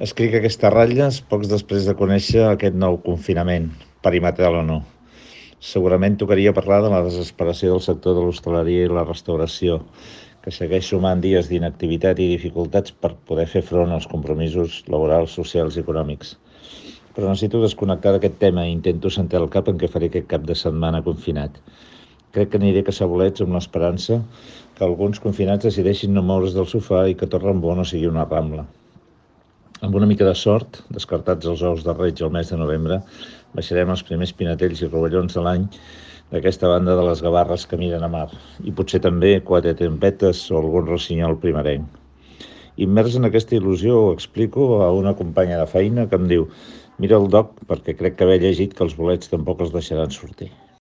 Escric aquestes ratlles pocs després de conèixer aquest nou confinament, perimetral o no. Segurament tocaria parlar de la desesperació del sector de l'hostaleria i la restauració, que segueix sumant dies d'inactivitat i dificultats per poder fer front als compromisos laborals, socials i econòmics. Però necessito desconnectar d'aquest tema i intento centrar el cap en què faré aquest cap de setmana confinat. Crec que aniré a caçar bolets amb l'esperança que alguns confinats decideixin no moure's del sofà i que Torrembó no sigui una rambla. Amb una mica de sort, descartats els ous de Reig al mes de novembre, baixarem els primers pinatells i rovellons de l'any d'aquesta banda de les gavarres que miren a mar, i potser també quatre trompetes o algun rossinyol primerenc. Immers en aquesta il·lusió ho explico a una companya de feina que em diu: mira el doc perquè crec que haver llegit que els bolets tampoc els deixaran sortir.